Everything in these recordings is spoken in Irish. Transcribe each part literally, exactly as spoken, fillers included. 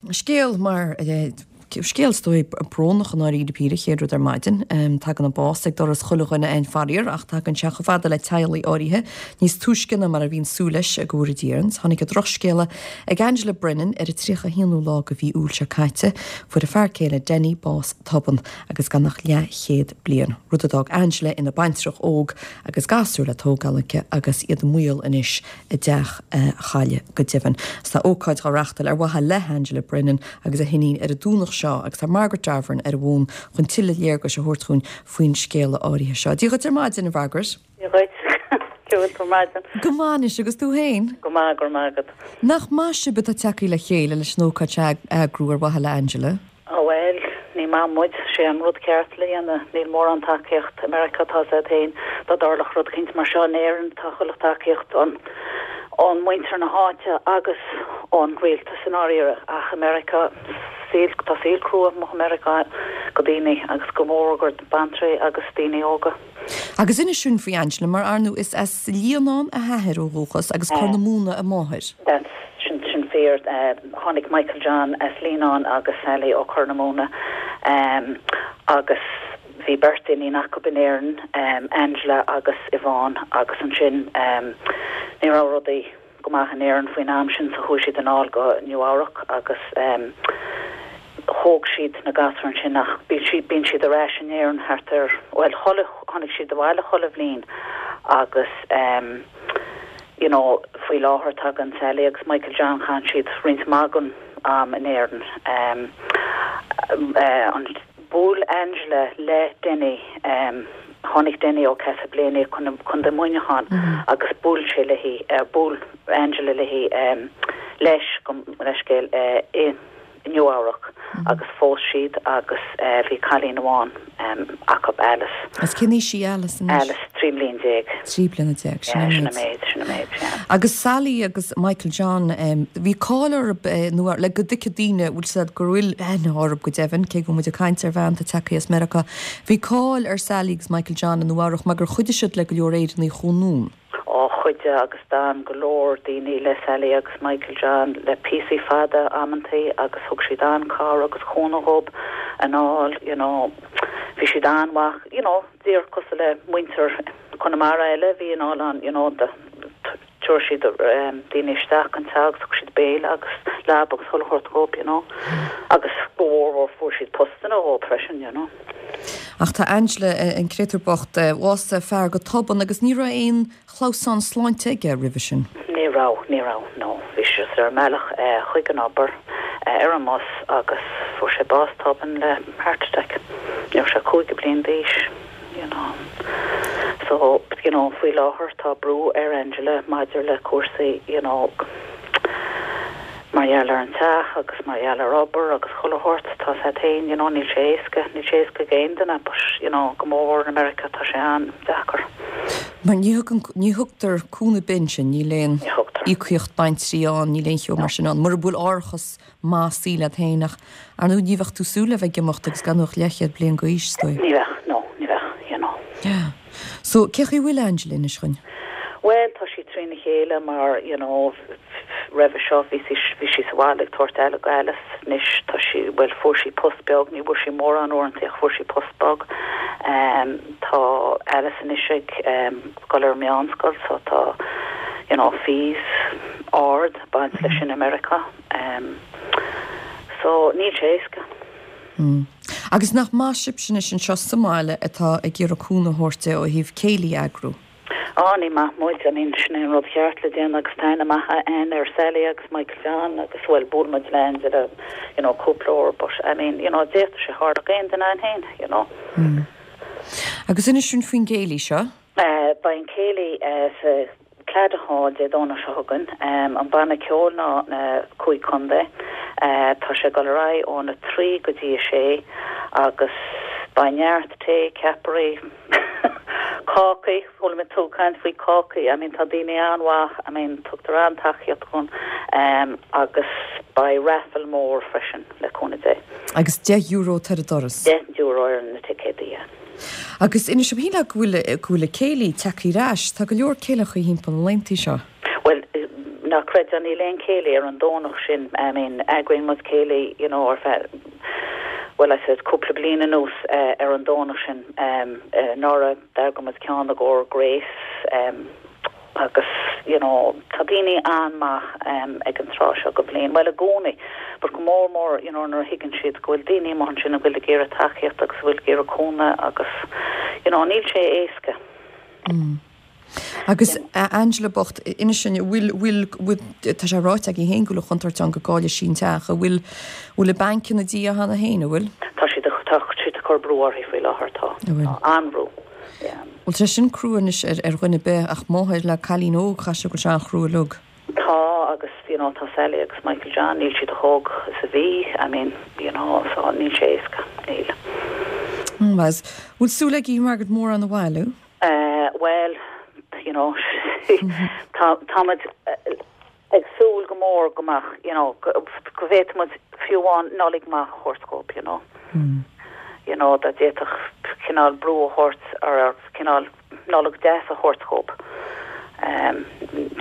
Scéal mar scéal is dóigh brónach i ndáiríre píre chéad rud ar maidin, tagann an bás ag doras chuile dhuine againn faraor ach tagann sé chomh fada le teaghlaigh áirithe níos túisce ná mar a bhíonn súil leis go bhfóire Dia orainn. Tháinig an drochscéala ag Angela Brennan ar an tríocha haonú lá de mhí Iúil seo caite. Fuair a fear céile Denny bás tobann agus gan ach leathchéad bliain. Rud a d'fhág Angela ina baintreach óg agus gasúr le tógáil aici agus iad i mbaol anois a dteach a chailleadh go deimhin. Tá ócáid á reáchtáil ar mhaithe le Angela Brennan agus a hiníon ar an Domhnach seo agus tá Margaret Davern ar an bhfón chun tuilleadh léargais a thabhairt dúinn faoin scéala áirithe seo. Dia dhuit ar maidin a Mhargaret. Dia dhuit Cén maidin. Go maith agus tú féin? Go maith go maith. Nach maith sibh atá tagtha le chéile leis an ócáid a eagrú ar mhaithe le Angela? Ó well, ní maith muid sé an rud ceart le déanamh níl mórán tacaíocht America tá sé féin dá dtarlódh rud éicint mar seo in Éirinn tá chuile tacaíocht an ón muintir na háite agus ón rialtas in áirithe ach America saol tá saol crua i America go daoine agus go mór gur baintrí agus daoine óga. Agus inis dúinn faoi Angela mar ar ndóigh is as Líonán a hathair ó dhúchas agus Corr na Móna a máthair. That's sin sin fíor uh, tháinig Michael John as Líonán agus Sally ó Chorr na Móna um, agus bhí beirt iníon acu in Éirinn um, Angela agus Yvonne agus ansin um, ní raibh rudaí go maith in Éirinn faoin am sin so chuaigh siad anall go Nua-Eabhrac agus um, thóg siad na gasúir sin ach bíonn siad bíonn siad ar ais in Éirinn thart ar well chuile tháinig siad abhaile chuile bhliain agus um, you know faoi láthair tagann Sally agus Michael John chan siad roinnt mhaith den am in Éirinn um, uh, an bhuail Angela le Denny um, tháinig Denny ó Castleblayney chun chun de Muineachán mm -hmm. agus bhuail sé léi uh, bhuail Angela léi um, leis go leiscéil uh, i Nua-Eabhrac mm -hmm. agus phós siad agus uh, bhí cailín amháin um, acu Alice. As cén aois í Alice Alice trí bliana déag. Trí bliana déag sin méid sin méid. Agus Sally agus Michael John um, bhí cáil orthu nó le go dtuigfidh daoine bhfuil siad go bhfuil aithne orthu go deimhin cé go muid ag caint ar bhean atá tagtha as Meiriceá. Bhí cáil ar Sally agus Michael John in Nua-Eabhrac mar gur chuidigh siad le go leor Éireannaigh chun á chuidigh agus d'fhan go leor daoine le Sally agus Michael John le píosaí fada amantaí agus thug siad an-chabhair agus cúnamh dóibh anall you know bhí siad an-mhaith you know díreach cosúil le muintir Conamara eile bhí anall an you know de tuair siad um, daoine isteach an teach thug siad béile agus leaba agus chuile shórt dóibh you know agus go mhór fuair siad postanna dóibh freisin you know. Ach tá Angela an créatúr bocht bhásaigh a fear go tobann agus ní raibh aon chlamhsán sláinte aige roimhe sin. Ní raibh ní raibh no bhí sé ar mbealach chuig an obair ar an mbus agus fuair sé bás tobann le heart attack. Ní raibh sé cúig bliana d'aois you know. So you know faoi láthair tá brú ar Angela maidir le cúrsaí you know mar gheall ar an teach agus mar gheall ar obair agus chuile shórt tá sé féin you know níl sé éasca níl sé éasca d'aon duine but you know go mór in America tá sé an-deacair. Mar ní ní thugtar cúnamh bin sin níl aon íocaíocht baintrí ann níl aon cheo mar sin ann, mura bhfuil árachas maith saoil agat féin ach ar ndóigh ní bheadh tú súil le bheith ag imeacht agus gan ach leathchéad bliain d'aois is dóigh. Ní bheadh no ní bheadh you know. Yeah. So cé chaoi bhfuil Angela anois chun? Well tá sí trína chéile mar you know roimhe seo bhí sí bhí sí sa bhaile ag tabhairt aire d'Alice anois tá sí well fuair sí post beag ní bhfuair sí mórán uaireanta ach fuair sí post beag um, tá Alice anois ag um, dul ar meánscoil so tá you know fees ard baint leis in America um, so níl sé éasca. Mm. Agus nach maith sibh sin sin seo sa mbaile atá ag iarraidh cúnamh a thabhairt ó thaobh céilí a eagrú. Á ní maith muid I mean sin an rud ceart le déanamh agus tá maith an ar Sally agus Michael John agus well bhuail muid le Angela you know cúpla uair but I mean you know d'fhéadfadh sé tarlú d'aon duine féin you know. Mm. Agus inis dúinn faoin gcéilí seo? Uh, Beidh an céilí uh, sa Claddagh Hall Dé Domhnaigh seo chugainn um, an banna ceoil ná na cúig chontae uh, tá sé ag dul ar aghaidh óna trí go dtí a sé agus beidh neart tae ceapairí cácaí chuala mé tú caint faoi cácaí I mean tá daoine an-mhaith I mean tugtar an-tacaíocht chun um, agus beidh raffle mór freisin le cúnamh Dé. Agus deich euro ar an doras. Deich euro ar na ticéadaí. Agus inis dom shílfeá go bhfuil go bhfuil céilí tagtha ar ais, tá go leor céilithe timpeall na laethanta seo. Well na a chreideamh níl aon céilí ar an Domhnach sin I mean eagraíonn muid céilí you know ar feadh well I said cúpla bliain anuas uh, ar an Domhnach sin um, uh, anuraidh d'eagraigh muid ceann i gcomhair Grace um, agus you know tá daoine an-mhaith um, ag an tráth seo den bhliain well i gcónaí but go mór mór you know nuair a thuigeann siad go bhfuil daoine mar sin a bhfuil ag iarraidh tacaíocht agus bhfuil ag iarraidh cúnamh agus you know níl sé éasca. Mm. Agus Angela bocht inis sin bhfuil bhfuil tá sé ráite aici féin go bhfuil contúirt ann go gcaillfidh sí an teach bhfuil bhfuil an banc ina diaidh cheana féin bhfuil? Tá siad tá siad ag cur brú uirthi faoi láthair tá an-bhrú. Well tá sin crua anois ar ar dhuine ar bith ach máthair le cailín óg cha sé go se an chrú lug. Tá agus you know tá Sally agus Michael John níl siad chomh hóg is a bhí I mean you know so níl sé éasca níl. Was bhfuil súil agaibh Margaret mórán a bhailiú? Uh, well you know tá táimid ag súil go mór go maith you know go bhféadfaimid fiú amháin Nollaig maith a thabhairt dóibh you know. Mm. You know dá bhféadfadh cineál brú a thabhairt ar cineál Nollaig deas a thabhairt dóibh. Um,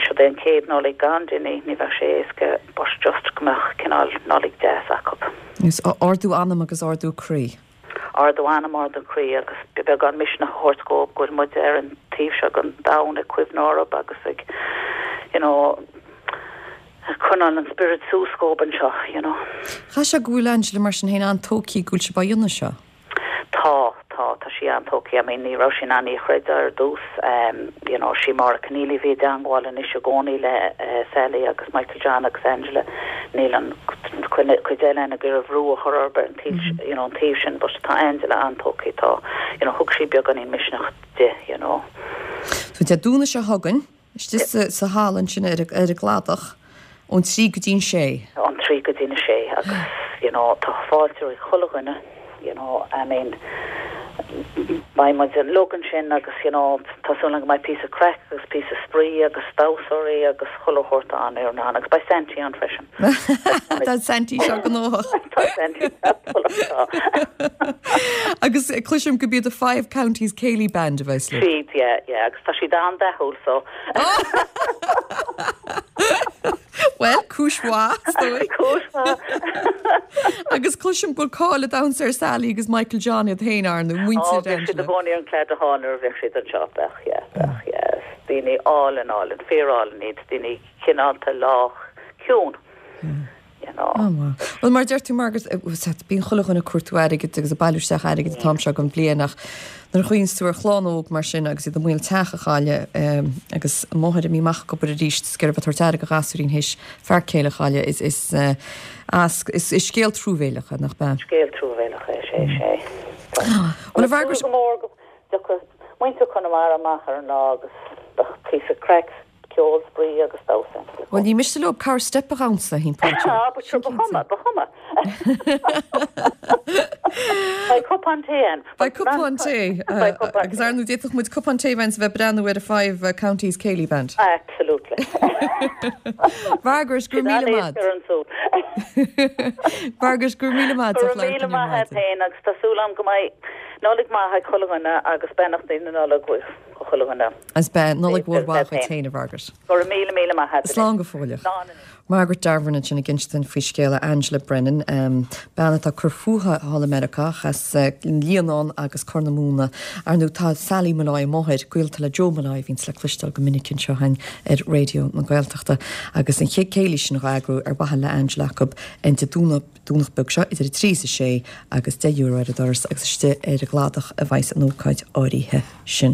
seo é an chéad Nollaig gan duine ní bheadh sé éasca but just go mbeadh cineál Nollaig deas acu. Is ardú anam agus ardú croí. Ardú anam ardú croí agus beagán misneach a thabhairt dóibh go bhfuil muid ar an taobh seo den domhan ag cuimhneamh orthu agus ag you know coinneáil an spiorad suas dóibh anseo you know. Cha sé go bhfuil Angela mar sin féin an-tógtha go bhfuil sibh á dhéanamh seo? Tá tá tá sí an-tógtha I mean ní raibh sí in ann é a chreideamh ar dtús um, you know sí mar Keneally bhí i dteagmháil anois i gcónaí le uh, Sally agus Michael John agus Angela níl an cuid eile ag iarraidh brú a chur ar an taobh mm -hmm. you know an taobh sin but tá Angela an-tógtha tá you know thug sí beagáinín misneach di you know. So Dé Domhnaigh seo chugainn istigh sa sa halla sin ar ar an gcladach ón trí go dtí sé. Ón trí go dtí sé agus you know tá fáilte roimh chuile dhuine you know I mean beidh muid uilig ansin agus you know tá súil go mbeidh píosa craic agus píosa spraoi agus damhsóirí agus chuile shórt ann ar an agus beidh Santy ann freisin. Tá Santy seo gnóthach. Agus cloisim go b'iad the Five Counties Céilí Band a bheas le. Siad yeah yeah agus tá siad an-dathúil so. Well cúis mhaith Agus cloisim go bhfuil cáil a damhsa ar Sally agus Michael John iad féin ar nó muintir siad i gcónaí an cladach nuair a bheadh siad anseo bheadh yeah bheadh yeah daoine álainn álainn fíorálainn iad daoine cineálta lách ciúin. You know. Oh, well mar deir tú Margaret bíonn chuile dhuine ag cuartú airgid agus ag bailiú isteach airgid an t-am seo den bhliain ach nuair a chuimhníonn tú ar chlann óg mar sin agus iad i mbaol teach a chailleadh agus máthair imithe amach ag obair arís is gur bheith airgead do ghasúirí théis fear céile a chailleadh is is as is is scéal truamhéalach nach ea. Scéal truamhéalach é sé sé. Well a Mhargaret go mór go muintir Chonamara amach ar an lá agus píosa craic ceol spraoi agus damhsa. Well ní miste leo car step a dhamhsa hín Ah, but sure, ba chuma ba chuma. Beidh cupán tae ann. Beidh cupán tae agus ar ndóigh d'fhéadfadh muid cupán tae bheith ag breathnú ar a Five uh, Counties Céilí Band. Absolutely. Margaret go míle maith. Margaret go míle maith míle maith féin agus tá súil agam go mbeidh Nollaig maith ag chuile dhuine agus beannachtaí na Nollag chuile dhuine. As be Nollaig mhór mhaith féin a Mhargaret. Go míle míle maith. Slán go fóilleach. Margaret Darvern sin ag insint faoi scéala Angela Brennan um, bean atá ag cur fúithi thall i Meiriceá as uh, Líonán agus Corr na Móna ar ndóigh tá Sally Molloy máthair gaolta le Joe Molloy bhíonn le cloisteáil go minic anseo ar Raidió na Gaeltachta agus an chéad céilí sin á eagrú ar mhaithe le Angela acu an Dé Domhnach beag seo idir a trí is a sé agus deich euro ar an doras agus istigh ar an gcladach a bheas an ócáid áirithe sin.